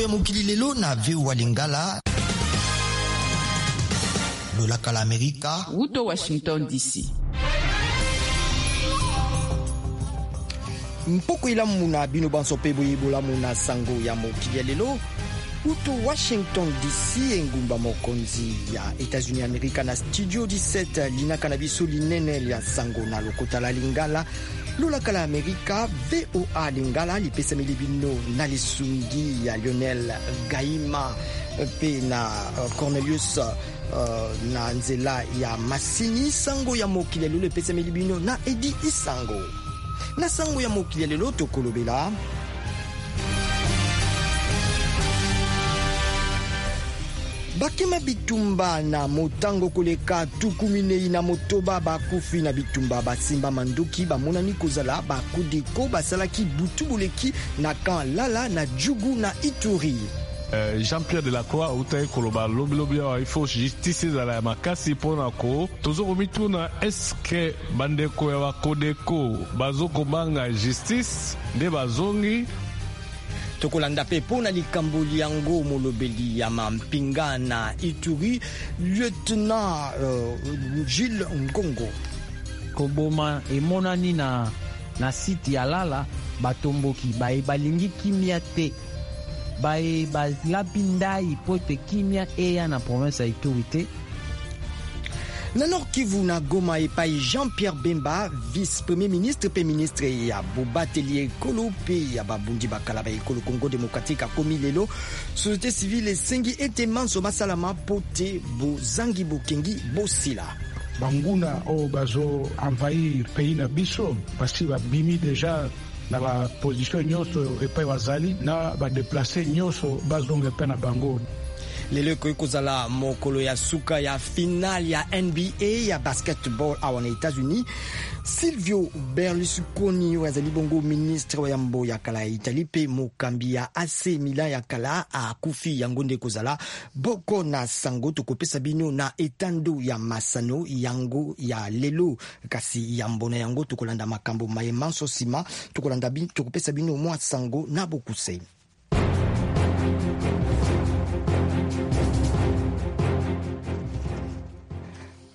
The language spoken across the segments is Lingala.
Ya mokili lelo na VOA Lingala, lolaka la Amerika. Wuto Washington DC. Mpoko elamu na bino banso mpe boye bolamu na sango ya mokili ya lelo uto Washington DC, engumba mokonzi ya États-Unis Amerika, na studio 17, linaka na biso linene ya sango na lokota la Lingala, lolaka la Amerika, VOA Lingala, lipesameli bino na lisungi ya Lionel Gaima mpe na Cornelius na nzela ya masini. Sango ya mokili ya lelo epesameli bino na Edi Isango. Na sango ya mokili ya lelo, tokolobela bakima bitumba na motango koleka 46 bakufi na bitumba basimba mandoki bamonani kozala bakodeko basalaki butu boleki na camp Lala na Djugu na Ituri. Jean-Pierre Delacroix autaki koloba lobilobi awa, il faut justice ezala ya makasi mpona ko tozo komituna eske bandeko ya bakodeko bazokobanga justice nde bazongi. Tokolanda mpe mpo na likambo yango molobeli ya mampinga na Ituri, lieutenant Gilles Ngongo. Koboma emonani na site ya Lala. Batomboki baye balingi kimia te, baye balapi ndai mpo ete kimia eya na province ya Ituri te. Na Nord Kivu, na Goma, epai Jean-Pierre Bemba, vice-premier ministre mpe ministre ya bobateli ekolo mpe ya babundi bakala ba ekolo Congo démocratique, akomi lelo, société civile esengi ete manso masalama mpo te bozangi bokengi bosila. Banguna oyo bazo envahir pays na biso basi babimi déjà na baposition nyonso epai bazali, na badéplacés nyonso bazonga epai na bango. Lelo ekoki kozala mokolo ya suka ya finale ya NBA ya basketball awa na États-Unis. Silvio Berlusconi, oyo azali bongo ministre wa yambo ya kala ya Italie mpe mokambi ya AC Milan ya kala, akufi. Yango nde kozala boko na sango tokopesa bino na etando ya masano yango ya lelo. Kasi yambo na yango, tokolanda makambo maye manso. Nsima tokolanda, tokopesa bino mwa sango na bokuse.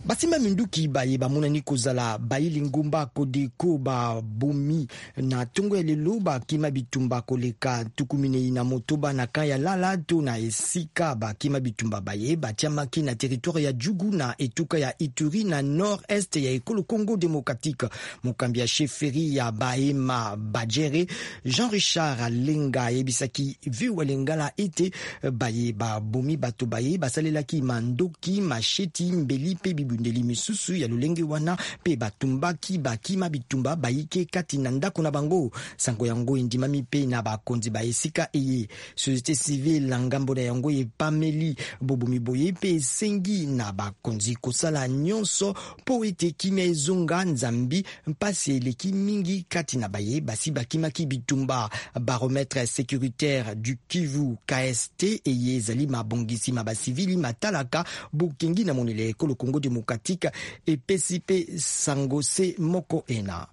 Basimba minduki baye bamonani kozala bayili ngumba Kodeko babomi na ntongo ya lelo bakima bitumba koleka 46 na camp ya Lala to na esika bakima bitumba baye batiamaki na territoire ya Djugu, na etuka ya Ituri, na nord est ya ekolo Congo démocratique. Mokambi ya chefferie ya Bahema Bajere, Jean Richard Alenga, ayebisaki VOA Lingala ete baye babomi bato baye basalelaki mandoki, masheti, mbeli mpe bibundeli misusu ya lolenge wana, mpe batumbaki bakima bitumba bayike kati na ndako na bango. Sango yango endimami mpe na bakonzi ba esika eye. Société civile na ngambo na yango epameli bobomi boye mpe esengi na bakonzi kosala nyonso mpo ete kimia ezonga, nzambi mpasi eleki mingi kati na baye basi bakimaki bitumba. Baromètre sécuritaire du Kivu KST, eye ezali mabongisi ma basivili matalaka bokengi na monele ekolo Congo démocratique, epesi mpe sango se moko ena.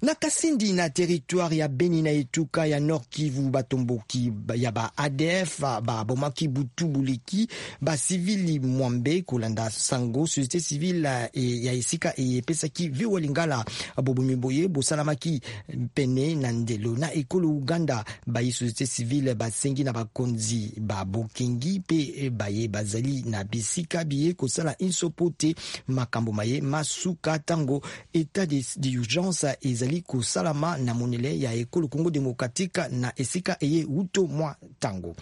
Na Kasindi, na territoire ya Beni, na etuka ya Nord Kivu, batomboki ya ba ADF babomaki butu buleki basivili 80. Kolanda sango société civile ya esika epesaki VOA Lingala, bobomi boye bosalamaki pene na ndelo na ekolo Uganda. Bayi société civile basengi na bakonzi babokengi mpe baye bazali na bisika biye kosala inso po te makambo maye masuka, ntango état d'urgence ezali kosalama na monele ya ekolo Congo démocratique na esika eye wuto mwa ntango.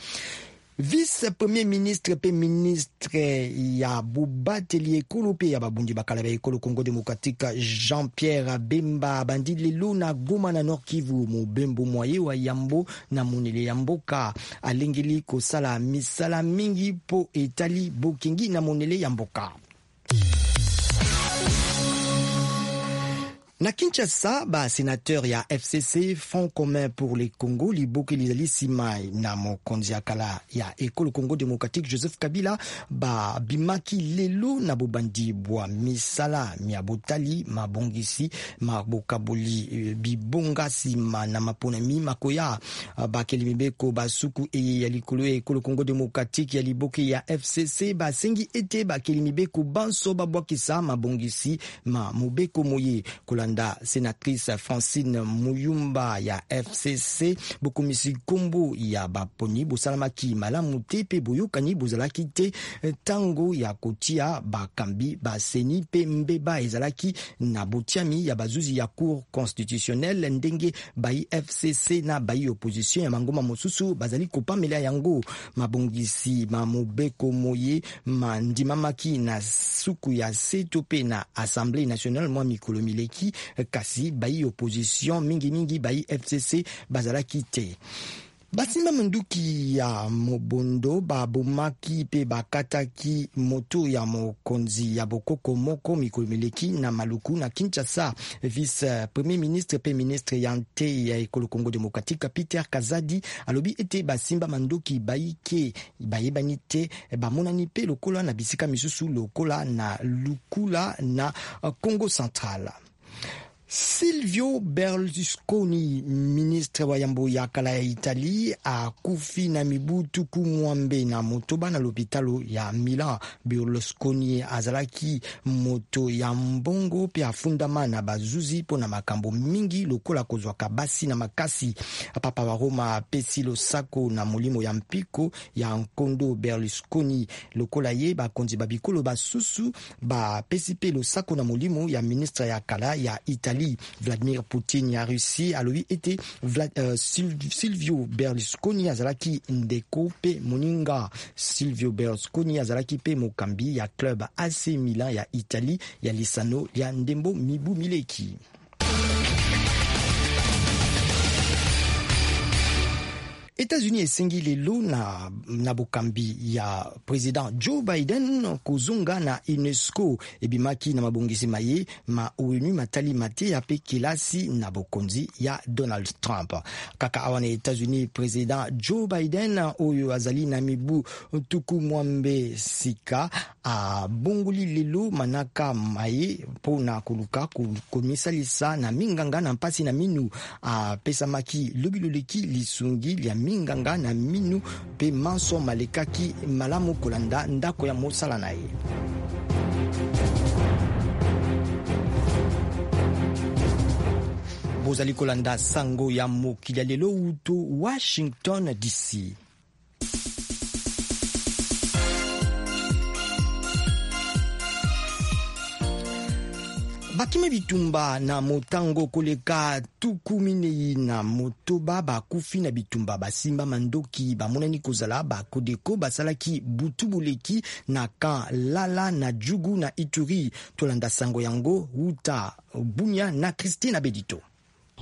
Vice premier ministre mpe ministre ya bobateli ekolo mpe ya babundi bakala ya ekolo Congo démocratique, Jean-Pierre Bemba, abandi lelo na Goma, na Nord Kivu, mobembo mwaye wa yambo na monele ya mboka. Alengeli kosala misala mingi mpo etali bokengi na monele ya mboka. Na Kinshasa, ba sénateur ya FCC, Front commun pour le Congo, liboke lizali nsima na mokonzi ya kala ya ekolo Congo démocratique Joseph Kabila, babimaki lelo na bobandi bwa misala mya botali mabongisi mabokaboli bibonga nsima na maponami makoya. Bakeli mibeko basuku eye ya likolo ya ekolo Congo démocratique ya liboke ya FCC basengi ete bakeli mibeko banso babwakisa mabongisi ma mobeko moye. Kolanda sénatrice Francine Muyumba ya FCC, bokomisi nkombo ya baponi bosalamaki malamu te mpe boyokani bozalaki te ntango ya kotia bakambi baseni, mpe mbeba ezalaki na botiami ya bazuzi ya Cour constitutionnelle, ndenge bai FCC na bai opposition ya mangomba mosusu bazali kopamela yango. Mabongisi ma mobeko moye mandimamaki na suku ya seto mpe na Assemblée nationale mwa mikolo mileki, kasi bai opposition, mingimingi bai FCC, bazalaki te. Basimba minduki ya mobondo babomaki mpe bakataki moto ya mokonzi ya bokoko moko mikolo mileki na Maluku na Kinshasa. Vice premier ministre mpe ministre ya nte ya ekolo Congo démocratique Peter Kazadi alobi ete basimba mandoki bayike bayebani te bamonani mpe lokola na bisika misusu, lokola na Lukula na Congo central. Silvio Berlusconi, ministre wa yambo ya kala ya Italie, akufi na mibu 68 na lopitalo ya Milan. Berlusconi azalaki moto ya mbongo mpe afundama na bazuzi mpo na makambo mingi, lokola kozwaka basi na makasi. Papa wa Roma apesi losako na molimo ya mpiko ya nkondo Berlusconi. Lokola ye, bakonzi ba bikolo basusu bapesi mpe losako na molimo ya ministre ya kala ya Italie. Vladimir Poutine ya Russie alobi ete Silvio Berlusconi azalaki ndeko mpe moninga. Silvio Berlusconi azalaki mpe mokambi ya club AC Milan ya Italie ya lisano ya ndembo mibu mileki. États-Unis esengi lelo na bokambi ya président Joe Biden kozonga na UNESCO. Ebimaki na mabongisi maye ma ONU matali mateya mpe kelasi na bokonzi ya Donald Trump. Kaka awa na États-Unis, président Joe Biden oyo azali na mibu 60 sika abongoli lelo manaka maye mpo na koluka komisalisa na minganga na mpasi na minu. Apesamaki lobi loleki lisungi lya minganga na minu mpe manso malekaki malamu, kolanda ndako ya mosala na ye. Bozali kolanda sango ya mokili ya lelo uto Washington DC. Bakimi bitumba na motango koleka 46 bakufi na bitumba basimba mandoki bamonani kozala bakodeko basalaki butu boleki na camp Lala na Djugu na Ituri. Tolanda sango yango wuta Bunia na Christine Abedito.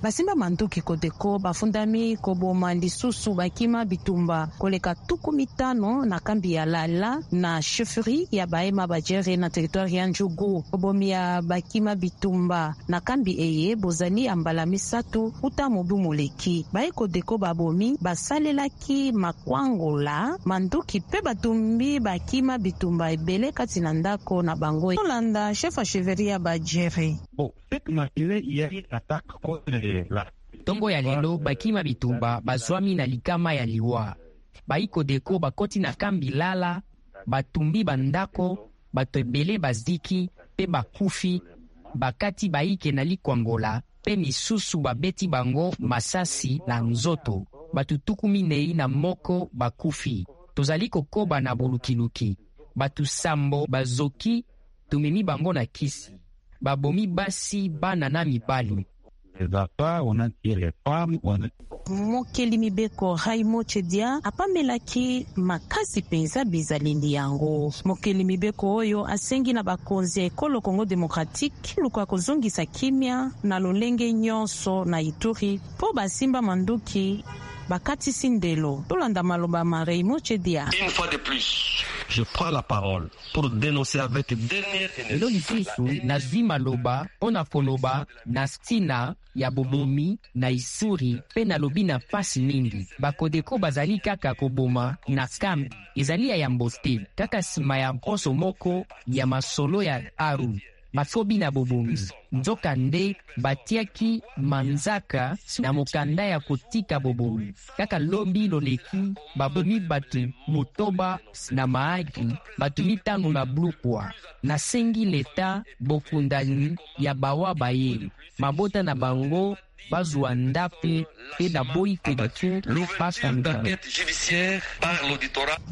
Basimba manduki Kodeko bafundami koboma lisusu bakima bitumba koleka 50 na kambi ya Lala na chefferie ya Bahema Bajere na territoire ya Djugu. Bobomi ya bakima bitumba na kambi eye bozali ya mbala misato uta mobu moleki. Baye Kodeko babomi basalelaki makwangola, manduki mpe batumbi bakima bitumba ebele kati na ndako na bango. Tolanda chef ya chefferie ya Bajere. Bon, cette matinée, il y a une attaque contre la Ntongo ya lelo, bakima bitumba bazwami na likama ya liwa. Baikodeko bakoti na kambi Lala, batumbi bandako, bato ebele baziki mpe bakufi, bakati baike na likwangola mpe misusu babeti bango masasi na nzoto. Bato 41 bakufi. Tozali kokoba na bolukiluki. Bato 7 bazoki, tumemi bango na kisi. Babomi basi, bana na mibali. Les affaires, on a tué les femmes, on a Mokeli mibeko Raimo Chedia apamelaki makasi mpenza bizaleli yango. Mokeli mibeko oyo asengi na bakonzi ya ekolo Congo démocratique luka kozongisa kimia na lolenge nyonso na Ituri mpo basimba manduki bakatisi ndelo. Tolanda maloba ma Raimo Chedia. Une fois de plus, Je prends la parole pour dénoncer avec dernière Lelo lisusu nazwi maloba mpo na koloba na ntina ya bobomi na Isuri mpe nalobi na mpasi mingi. Bakodeko bazali kaka koboma na kambi, ezali ya yambo te. Kaka nsima ya mposo moko ya masolo ya Aru bakobi na bobomi, nzoka nde batiaki manzaka na mokanda ya kotika bobomi. Kaka lobi loleki babomi bato 8 na Mahagi, bato 5 na Blukwa. Nasengi leta bokundani ya bawa baye mabota na bango bazwa ndako mpe naboyi Kodeko bakanga.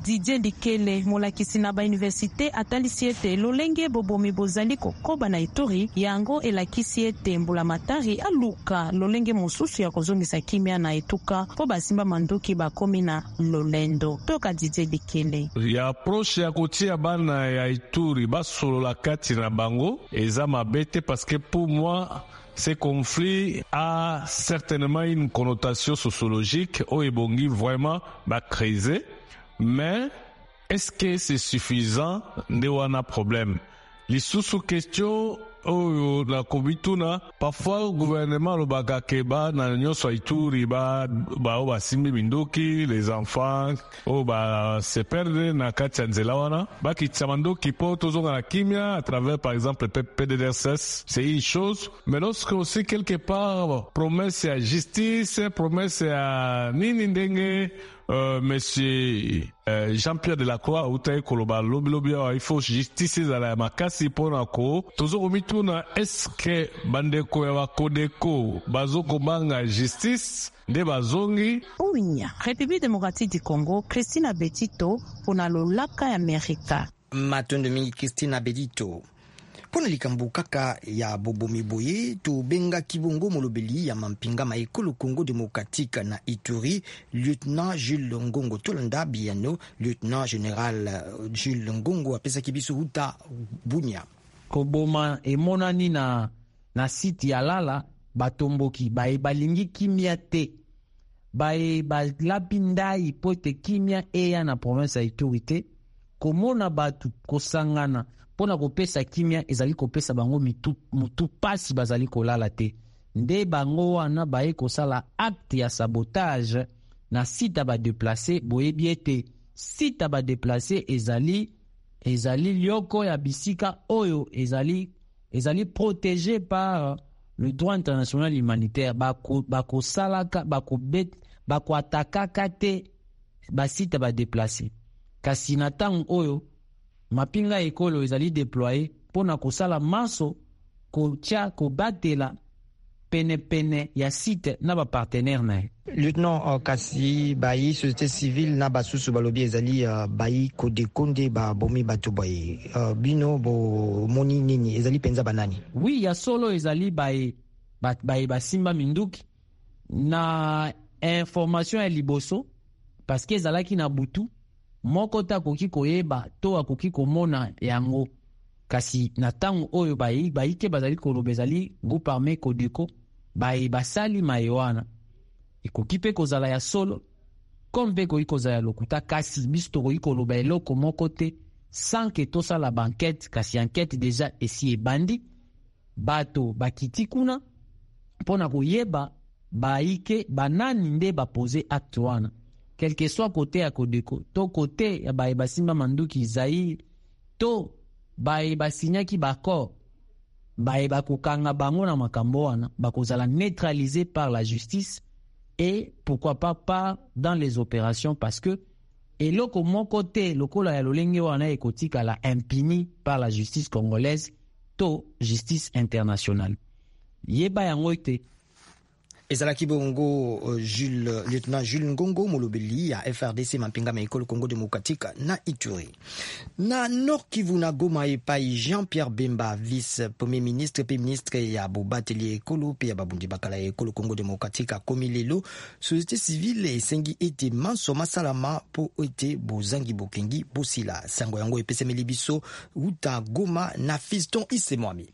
Didier Dikele, molakisi na bauniversite, atalisi ete lolenge bobomi bozali kokoba na Ituri, yango elakisi ete mbulamatari aluka lolenge mosusu ya kozongisa kimia na etuka mpo basimba manduki bakomi na lolendo. Toyoka Didier Dikele. Ya approche ya kotia bana ya Ituri basolola kati na bango eza mabe te, parce que pour moi ce conflit a certainement une connotation sociologique oyo ebongi vraiment bacrise, mais est-ce que c'est suffisant? Nde wana problème. Lisusu, question oyo nakomituna, parfois gouvernement alobaka ke bana nyonso ya Ituri baoyo basimbi minduki, les enfants oyo base perdre na kati ya nzela wana, bakitisa mandoki mpo tozonga na kimia à travers par exemple PDDRCS, c'est une chose. Mais lorsque aussi quelque part promesse ya justice, promesse ya nini, ndenge monsieur Jean-Pierre Delacroix autaki koloba lobilobi awa, il faut justice ezala ya makasi mpona ko tozo komituna, est-ce bandeko ya bakodeko bazokobanga justice nde bazongi? Bunia, République démocratique du Congo, Christina Betito mpona Lolaka ya Amerika. Matondo mingi, Christina Bedito. Mpo na likambo kaka ya bobomi boye, tobengaki bongo molobeli ya mampinga ma ekolo Congo démocratique na Ituri, lieutenant Jules Ngongo. Tolanda biyano lieutenant général Jules Ngongo apesaki biso huta Bunia. Koboma emonani na site ya Lala. Batomboki baye balingi kimia te, baye balapi ndai mpo ete kimia eya na province ya Ituri te, komona bato kosangana mpo na kopesa kimia ezali kopesa bango mutu pasi, bazali kolala te. Nde bango wana baye kosala acte ya sabotage na site ya badéplacés. Boyebi ete site ya badéplacés ezali lioko ya bisika oyo ezali protégé par le droit international humanitaire. Bakosalaka bakoatakaka te basite ya badéplacés. Kasi na ntango oyo mapinga ekolo ezali déployé mpo na kosala manso kotia kobatela penepene ya site na bapartenaire na ye. Lieutenant, kasi bayi société civile na basusu balobi ezali bayi Kodeko nde babomi bato boye. Bino bomoni nini? Ezali mpenza banani? Oui, ya solo, ezali baye basimba minduki. Na information ya liboso, parce que ezalaki na butu, moko te akoki koyeba to akoki komona yango. Kasi na ntango oyo bayike bazali koloba ezali groupe armé Kodeko baye basali maye wana. Ekoki mpe kozala ya solo comme mpe ekoki kozala ya lokuta, kasi biso tokoki koloba eloko moko te sans que tosala baenquête. Kasi enquête déjà esi ebandi, bato bakiti kuna mpo na koyeba bayike banani nde bapose acte wana. Quel que soit côté ya Kodeko to côté ya baye basimba manduki Zaire to baye basinyaki baaccord, baye bakokanga bango na makambo wana bakozala neutralisé par la justice et pourquoi pas par dans les opérations, parce que eloko moko te lokola ya lolenge wana ekotikala impuni par la justice congolaise to justice internationale. Yeba yango ete Ezalaki bongo Jules, lieutenant Jules Ngongo, molobeli ya FARDC, mampinga ma ekolo Congo démocratique na Ituri. Na Nord Kivu, na Goma, epai Jean-Pierre Bemba, vice premier ministre mpe ministre ya bobateli ekolo mpe ya babundi bakala ya ekolo Congo démocratique, akomi lelo, société civile esengi ete manso masalama mpo ete bozangi bokengi bosila. Sango yango epesameli biso wuta Goma na Fiston Isemwami.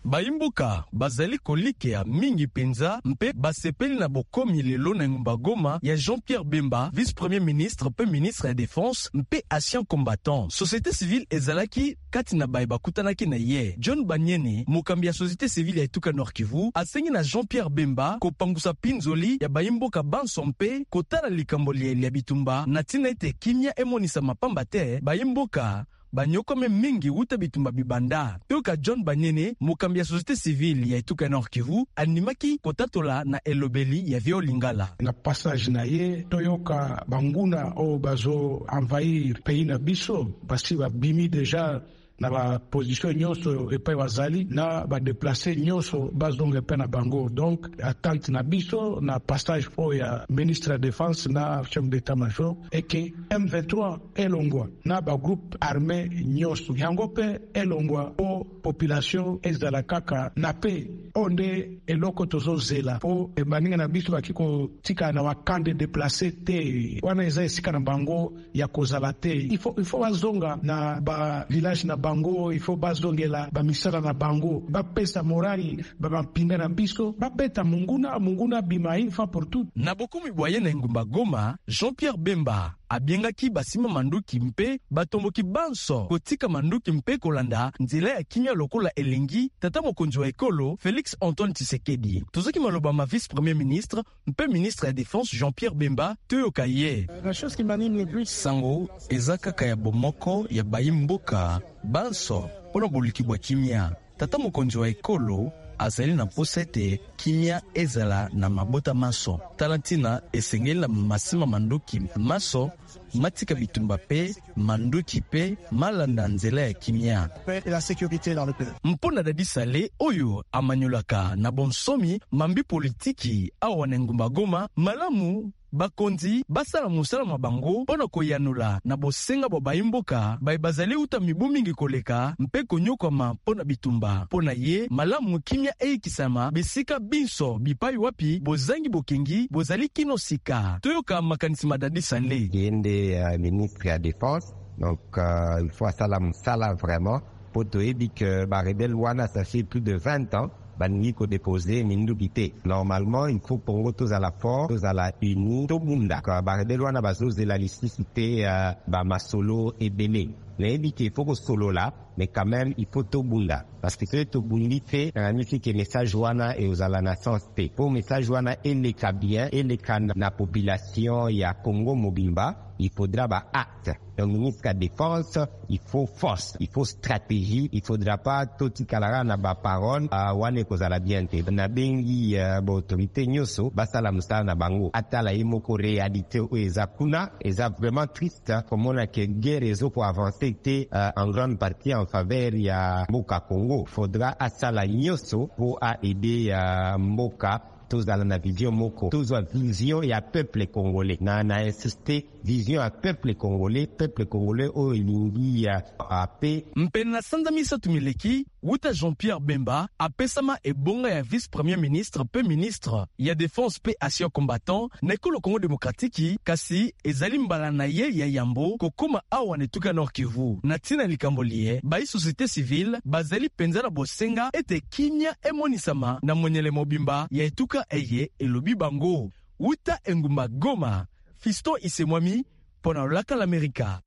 Bayimboka bazali kolikea mingi mpenza mpe basepeli na bokomi lelo na engumba Goma ya Jean-Pierre Bemba, vice-premier ministre mpe ministre ya défense mpe ancien combattant. Société civile ezalaki kati na baye bakutanaki na ye. John Banyene, mokambi ya société civile ya etuka Nord Kivu, asengi na Jean-Pierre Bemba kopangusa pinzoli ya bayimboka banso mpe kotala likambo liye lya bitumba na ntina ete kimia emonisama pamba te bayimboka banyokome mingi wuta bitumba bibanda. Toyoka John Banyene, mokambi ya société civile ya etuka Nord Kivu, andimaki kotatola na elobeli ya Vio Lingala. Na passage na ye, toyoka banguna oyo bazo envahir pays na biso, basi babimi deja na baposition nyonso epai bazali, na badeplace nyonso bazonga epai na bango. Donc attente na biso na passage oyo ya ministre ya défense na chef d'état major eke M23 elongwa na bagroupe armé nyonso yango mpe elongwa po population ezala kaka na pe. Oyo nde eloko tozozela po baninga na biso baki kotikala na bacamp de déplace te, wana eza esika na bango ya kozala te. Il faut bazonga na bavillage na bango, il faut bazongela bamisala na bango, bapesa morali bampinga na biso, babeta monguna, monguna bima une fois pour toutes. Na bokomi bwa ye na engumba Goma, Jean-Pierre Bemba abiengaki basima manduki mpe batomboki banso kotika manduki mpe kolanda nzela ya kimia lokola elingi tata mokonzi wa ekolo Félix Antoine Tshisekedi. Tozoki maloba ma vice-premier ministre mpe ministre ya défense Jean-Pierre Bemba, toyoka ye. La chose qui m'anime le plus, sango eza kaka ya bomoko ya bayimboka banso mpona boluki bwa kimia. Tata mokonzi wa ekolo azali na mposa ete kimia ezala na mabota maso. Tala ntina esengeli na masima manduki maso matika bitumba mpe manduki mpe malanda nzela ya kimia paix et la sécurité dans le pays. Mpo na Dadi Sale oyo amanyolaka na bonsomi mambi politiki awa na engumba Goma, malamu bakonzi basala mosala mwa bango mpo na koyanola na bosenga bwa bayimboka baye bazali uta mibu mingi koleka mpe konyokwama mpo na bitumba. Mpo na ye, malamu kimia eyikisama bisika binso bipai wapi bozangi bokengi bozali kino sika. Toyoka makanisi ma Dadi Sale. Ye nde ministre ya défense, donc il faut asala mosala vraiment po toyebi ke barebele wana, ça fait plus de 20 ans balingi kodépose minduki te. Normalement, il faut Congo tozala fort, tozala uni, tobunda. Barebele wana bazozela lisusu te bamasolo ebele. Nayebi ke il faut kosolola, mais quand même il faut tobunda, parce que soki tobundi te, nakanisi ke message wana eozala na sens te. Po message wana eleka bien, eleka na population ya Congo mobimba, il faudra ba acte. Donc ministre ya défense, il faut force, il faut stratégie, il faudra pas totikalaka na baparole wana, ekozala bien te. Nabengi baautorité nyonso basala mosala na bango, atala ye moko réalité oyo eza kuna. Eza vraiment triste komona ke guerre ezokoavance te en grande partie en faveur ya mboka Congo. Faudra asala nyonso po aide mboka. Tozala na vision moko, tozwa vision ya peuple congolais. Na insiste, vision ya peuple congolais, peuple congolais oyo elingi ya ape. Mpe na sanza 3 mileki wuta Jean-Pierre Bemba apesama ebonga ya vice-premier ministre mpe ministre ya défense mpe ancien combattant na ekolo Congo démocratiki, kasi ezali mbala na ye ya yambo kokóma awa na etuka Nord Kivu. Na ntina likambo liye, bayi société civile bazali mpenza na bosenga ete kimia emonisama na monyele mobimba ya etuka eye, elobi bango. Wuta engumba Goma, Fiston Isemwami mpo na Lolaka l'Amerika.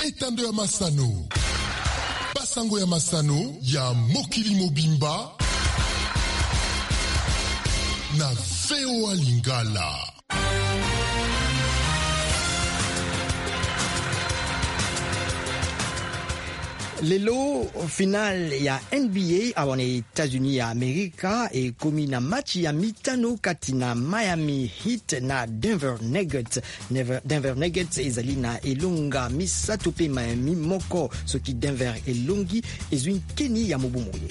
Etando ya masano, basango ya masano ya mokili mobimba na VOA Lingala. Lelo finale ya NBA awa na États-Unis ya Amerika ekomi na match ya mitano kati na Miami Heat na Denver Nuggets. Denver Nuggets ezali na elonga 3 mpe Miami 1. Soki Denver elongi, ezwi nkeni ya mobu moye.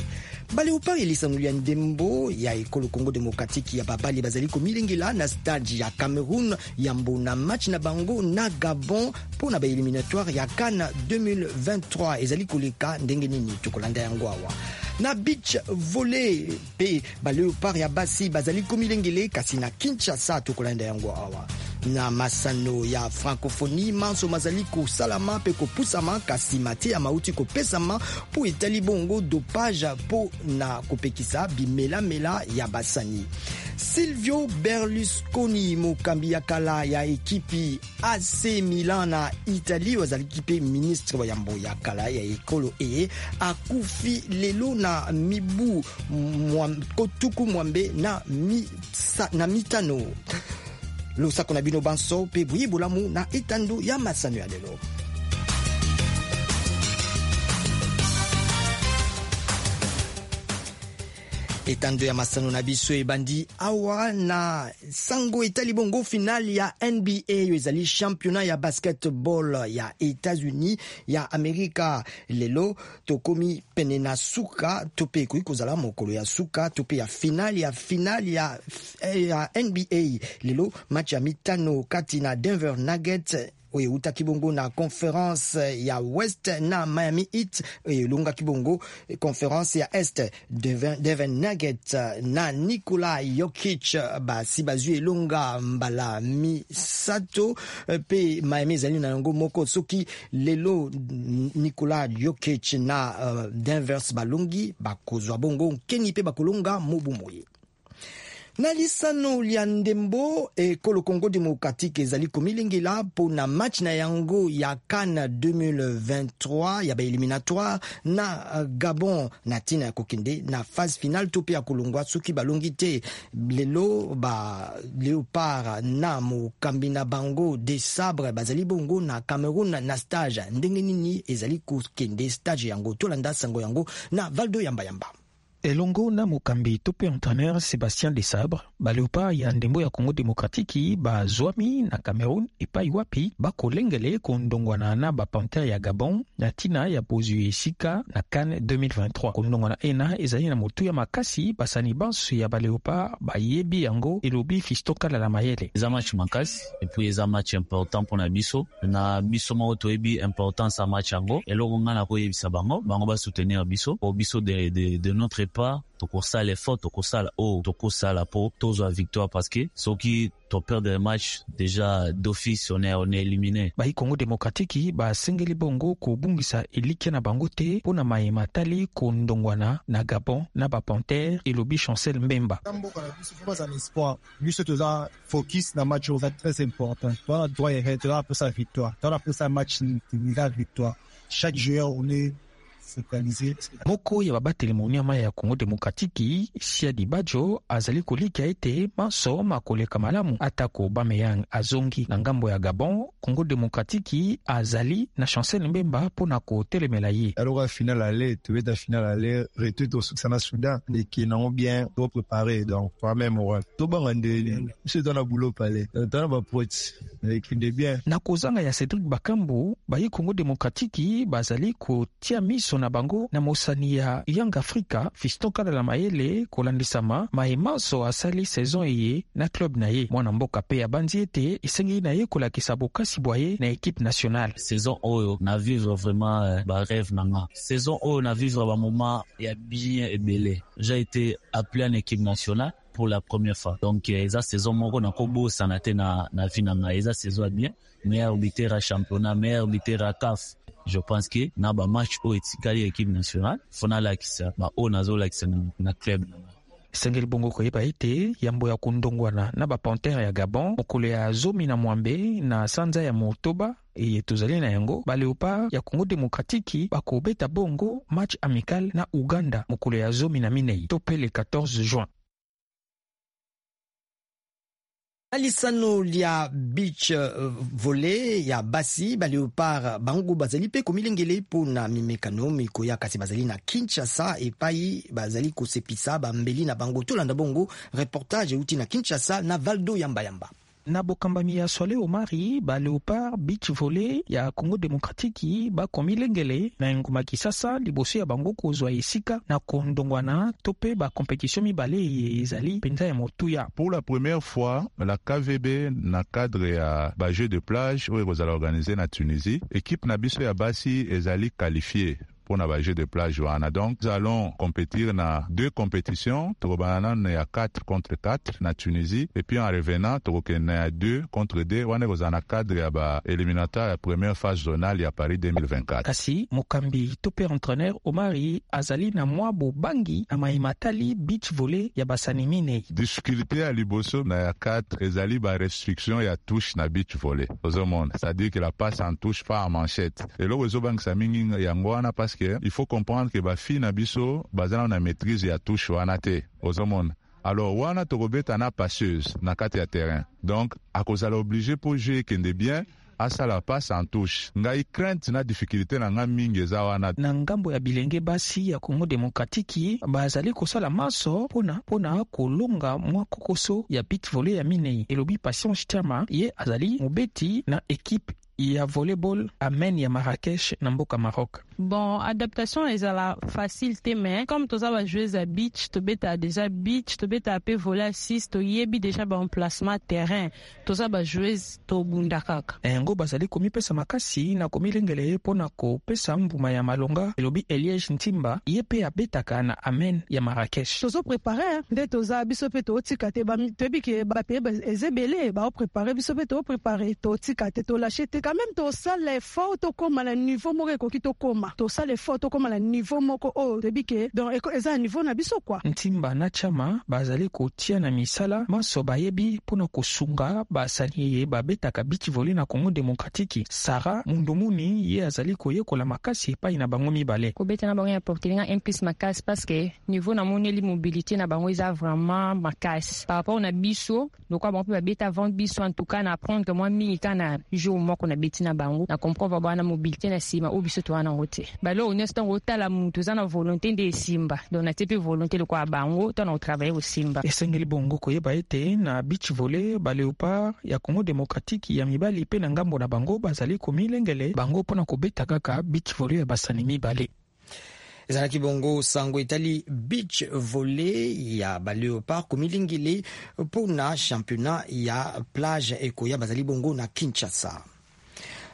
Baleopard, elisanoli ya ndembo ya ekolo Congo démocratique ya babali, bazali komilengela na stade ya Cameroun yambo na match na bango na Gabon mpo na baéliminatoire ya CAN 2023. Ezali koleka ndenge nini? Tokolanda yango awa. Na beach volley mpe, baleopard ya basi bazali komilengele kasi na Kinshasa. Tokolanda yango awa. Na masano ya francophonie, manso mazali kosalama mpe kopusama, kasi mateya mauti kopesama mpo etali bongo dopage mpo na kopekisa bimelamela ya basani. Silvio Berlusconi, mokambi ya kala ya ekipi AC Milan na Italie, oyo azalaki mpe ministre wa yambo ya kala ya ekolo eye, akufi lelo na mibu 65. Losako na bino banso mpe boye bolamu na etando ya masano ya lelo. Etando ya masano na biso ebandi awa na sango etali bongo finale ya NBA oyo ezali championnat ya basketball ya États-Unis ya Amerika. Lelo tokomi pene na suka to mpe ekoki kozala mokolo ya suka to mpe ya finale ya NBA. Lelo match ya mitano kati na Denver Nuggets oyo eutaki bongo na conférence ya West na Miami Heat oyo elongaki bongo conférence ya Est. Denver Nuggets na Nikola Jokic basi bazwi elonga mbala misato, mpe Miami ezali na yango moko. Soki lelo Nikola Jokic na Denver balongi, bakozwa bongo nkeni mpe bakolonga mobu moye. Na lisano lya ndembo, ekolo Congo Démocratique ezali komilengela mpo na match na yango ya CAN 2023 ya baéliminatoire na Gabon, na ntina ya kokende na phase finale to mpe ya kolongwa soki balongi te. Lelo ba Léopard na mokambi na bango Desabre bazali bongo na Cameroun na stage. Ndenge nini ezali kokende stage yango? Tolanda sango yango na Valdo Yambayamba. Elongo na mokambi to mpe entraîneur Sébastien Desabre, baleopard ya ndembo ya Congo Démocratique bazwami na Cameroun epai wapi bakolengele kondongwana na bapanthère ya Gabon na ntina ya bozwi esika na CAN 2023. Kondongwana ena ezali na motuya makasi, basani banso ya baleopard bayebi yango, elobi Fiston Kalala Mayele. Eza match makasi et puis eza match important mpona biso. Na biso moko toyebi importance ya match yango. Eloko ngai nakoyebisa bango, bango basoutenir biso po biso de notre part tokosala effort, tokosala oyo tokosala po tozwa victoire, parce que soki toperdre match, déjà d'office on est éliminé. Bai Congo Démocratique basengeli bongo kobungisa elikya na bango te mpo na mayema tali kondongwana na Gabon na bapanthère, elobi Chancel Mbemba. Mboka na biso fo baza na espoir. Biso toza focus na match oyo, eza très important. Toza na droit erreur, toza na mposa victoire, toza na mposa match eza victoire. Chaque joueur, on est focalisé. Moko ya babateli monyama ya Congo Démocratique, Siadi Bajo, azali kolikia ete manso makoleka malamu. Atako Aubameyang azongi na ngambo ya Gabon, Congo Démocratique azali na Chancel Mbemba mpo na kotelemela ye. Alors finale aller, tobeta finale aller, retour tosukisa na Soudan, ekende nango bien, topréparé, donc toi même moral tobanga ndeni biso toza na boulot pale, toza na bapote, ekende bien. Na kozanga ya Cédric Bakambu, bayi Congo Démocratique bazali kotia miso na bango na mosani ya Young Africa, Fiston Kalala Mayele, kolandisama mayemanso asali saison eye na club na ye. Mwana mboka mpe abandi ete esengeli na ye kolakisa bokasi bwa ye na équipe nationale. Saison oyo na vivre vraiment barêve na nga. Saison oyo na vivre bamoment ya bien ebele. J'ai été appelé en équipe nationale pour la première fois, donc eza saison moko nakobosana te na vie na ngai. Eza saison ya bien, meilleur buteur ya championnat, meilleur buteur ya CAF. Je pense que na bamatch oyo etikali ya équipe nationale, fo nalakisa baoyo nazolakisa na club na ngai. Esengeli bongo koyeba ete yambo ya kondongwana na bapanthère ya Gabon mokolo ya 16 na sanza ya motoba eye tozali na yango, baleopard ya Congo Démocratique bakobeta bongo match amical na Uganda mokolo ya 14 to mpe le 14 juin. Na lisano lya beach volley ya basi, baleopard bango bazali mpe komilengele mpo na mimekano mikoya, kasi bazali na Kinshasa epai bazali kosepisa bambeli na bango. Tolanda bongo reportage euti na Kinshasa na Valdo Yambayamba. Na bokambami ya Swale Omari, baleopard beach volley ya Congo Démocratique bakomilengele na engumba Kisasa liboso ya bango kozwa esika na kondongwana to mpe bakompetition mibale eye ezali mpenza ya motuya. Pour la première fois, la KVB na cadre ya bajeux de plage oyo ekozala organisé na Tunisie, équipe na biso ya basi ezali qualifiée. mpona bajeu de plage wana. Donc nous allons compétir na deux compétitions. Tokobanda nano ya 4 contre 4 na Tunisie, et puis en revenant tokokende na ya 2 contre 2 wana, ekozala na cadre ya baéliminatoire ya première phase zonale ya Paris 2024. Kasi mokambi to mpe entraîneur Omari azali na mwa bobangi na maye matali beach volley ya basani minei. Difficulté ya liboso na ya 4 ezali barestriction ya touche na beach volley. Ozomona, c'est-à-dire que la passe en touche, pas en manchette. Eloko ezobangisa mingi yango wana, parce que il faut comprendre que bafille na biso baza na maîtrise ya touche wana te. Ozomona, alors wana tokobeta na passeuse na kati ya terrain, donc akozala obligé, mpo jeu ekende bien, asala passe en touche. Ngai crainte na difficulté na ngai mingi eza wana. Na ngambo ya bilenge basi ya Congo Demokratiki, bazali kosala maso mpona kolonga mwa kokoso ya beach volley ya minei, elobi Patience Chama. Ye azali mobeti na ekipe ya volleyball Amen ya Marrakech na mboka Maroc. Bon, adaptation ezala facile te, mais comme toza bajoueuse ya beach, tobetaka déjà beach, tobetaka mpe volley à 6, toyebi déjà baemplacement terrain, toza bajoueuse, tobunda kaka. Na yango bazali komipesa makasi na komilengele mpo na kopesa mbuma ya malonga, elobi Eliege Ntimba. Ye mpe abetaka na Amen ya Marrakech. Tozoprépare nde toza, biso mpe tootika te. Toyebi ke bapays eza ebele baoprépare, biso mpe tooprépare, tootika te, tolâche te. Quand même tosala effort, tokóma na niveau moko ekoki, tokóma, tosala effort, tokóma na niveau moko oyo toyebi ke donc eza na niveau na biso quoi. Ntimba na Chama bazali kotia na misala maso bayebi mpona kosunga basani ye babetaka beach volley na Congo Demokratiki. Sara Mundumuni, ye azali koyekola makasi epai na bango mibale. Kobeta na bango ya porter nga un plus makasi, parce que niveau namoneli mobilité na bango eza vraiment makasi par rapport na biso. Lokola bango mpe babeta avant biso, en tout cas na apprendre mwa mingi kaka na jour moko nabeti na bango, na comprendre bana mobilité na nsima oyo biso toza nango te. Baloko nyonso, ntango otala mutu oza na volonté nde esimba. Donc natie mpe volonté lokola bango, ntango na kotravaille kosimba. Esengeli bongo koyeba ete na beach volley, baleopard ya Congo Demokratiki ya mibali mpe na ngambo na bango bazali komilengele bango mpona kobeta kaka beach volley ya basani mibale. Ezalaki bongo sango etali beach volley ya baleopard komilingeli mpona championnat ya plage ekoya, bazali bongo na Kinshasa.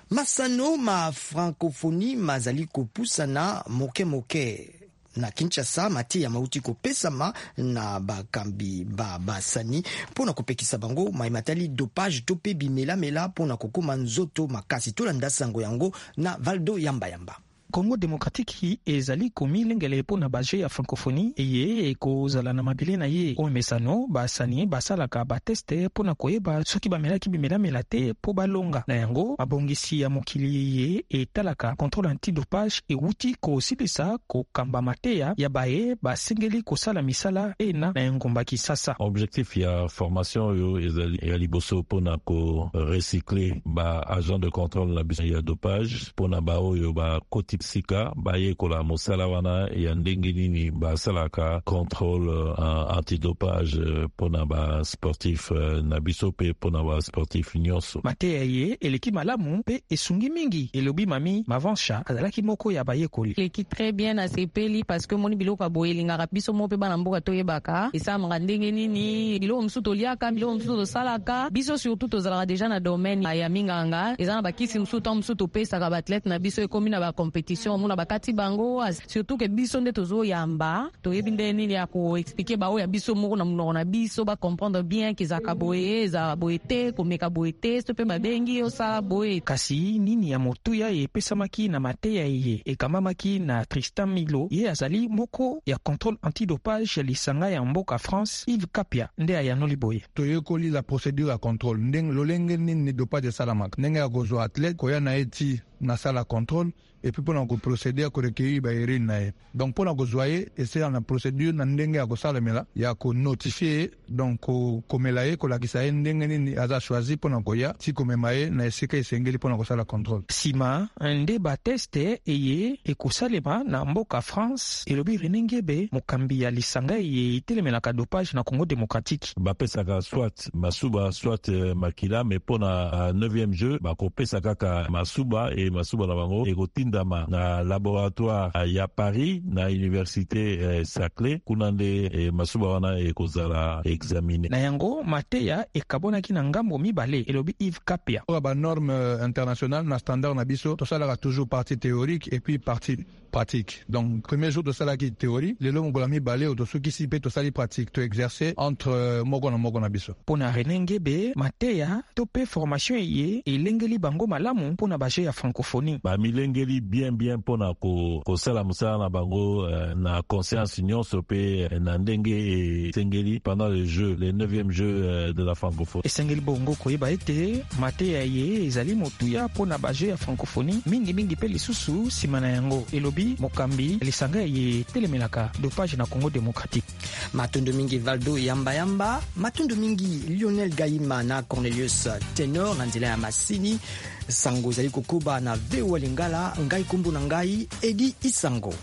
Masano ma Francophonie mazali kopusana moke moke na Kinshasa. Mateya mauti kopesama na bakambi ba basani mpona kopekisa bango maye matali dopage to mpe bimelamela mpona kokóma nzoto makasi. Tolanda sango yango na Valdo Yambayamba. Congo Demokratiki ezali komilengele mpo na bajeux ya Francophonie eye ekozala na mabele na ye. Oyo mesano basani basalaka batest mpo na koyeba soki bamelaki bimelamela te mpo balonga. Na yango mabongisi ya mokili ye etalaka contrôle antidopage ewuti kosilisa kokamba mateya ya baye basengeli kosala misala ena na engumba Kisasa. Objectif ya formation oyo ezali ya liboso mpona korecycle baagent de contrôle na biso ya dopage, mpona baoyo bakoti sika bayekola mosala wana ya ndenge nini basalaka contrôle antidopage mpona basportif na biso mpe mpona basportif nyonso. Mateya ye eleki malamu mpe esungi mingi, elobi Mami Mavansha, azalaki moko ya bayekoli. Eleki très bien, nasepeli parce que moni biloko ya boye elingaka biso mo mpe bana mboka toyebaka esalamaka ndenge nini. Biloko mosusu toliaka, biloko mosusu tosalaka biso, surtout tozalaka déjà na domaine ya minganga, eza na bakisi mosusu, ntango mosusu topesaka baathlète na biso, ekomi na bacompétition, omona bakati bango. Surtout ke biso nde tozoyamba, toyebi nde nini ya koexpliquer baoyo ya biso moko na monoko na biso, bacomprendre bien ke ezalaka boye, ezalaka boye te, komeka boye te, so mpe babengi osala boye. Kasi nini ya motuya epesamaki na mateya eye ekambamaki na Tristan Milo? Ye azali moko ya contrôle antidopage ya lisanga ya mboka France. Yves Kapia nde ayanoli boye. Toyekoli la procédure ya contrôle, ndenge lolenge nini dopage esalamaka, ndenge ya kozwa athlète, koya na ye ti nasala contrôle, et puis mpona koprocéder ya korecueillir baurine na ye. Donc mpona kozwa ye, esala na procédure na ndenge ya kosalemela ya konotifie ye, donc komela ye, kolakisa ye ndenge nini aza choisi mpona koya ti komema ye na esika esengeli mpona kosala contrôle. Nsima nde batest eye ekosalema na mboka France, elobi René Ngebe, mokambi ya lisanga eye etelemelaka dopage na Congo Démocratique. Bapesaka soit masuba, soit makila, mais mpona 9e jeu bakopesa kaka masuba, e masuba na bango ekotindama na laboratoire ya Paris, na université Saclay. Kuna nde masuba wana ekozala examiné. Na yango mateya ekabonaki na ngambo mibale, elobi Yves Kapia. Oyo banorme internationale na standard na biso, tosalaka toujours partie théorique et puis partie pratique. pratique. Donc premier jour tosalaki théorie, lelo mokolo ya mibale oyo tosukisi mpe tosali pratique, toexerce entre moko na moko na biso. Mpo na Rene Ngebe, mateya to mpe formation eye elengeli bango malamu mpo na ba Jeux ya Francophonie. Bamilengeli bien bien mpo na kosala mosala na bango na conscience nyonso mpe na ndenge esengeli pendant le jeu, le 9e jeu de la Francophonie. Esengeli bongo koyeba ete mateya eye ezali motuya mpo na ba Jeux ya Francophonie, mingimingi mpe lisusu nsima na yango, elobi mokambi lisanga eye etelemelaka dopage na Congo démocratique. Matondo mingi Valdo Yambayamba, matondo mingi Lionel Gaima na Cornelius Tenor na nzela ya masini. Sango ezali kokoba na VOA Lingala. Ngai kombo na ngai Edi Isango.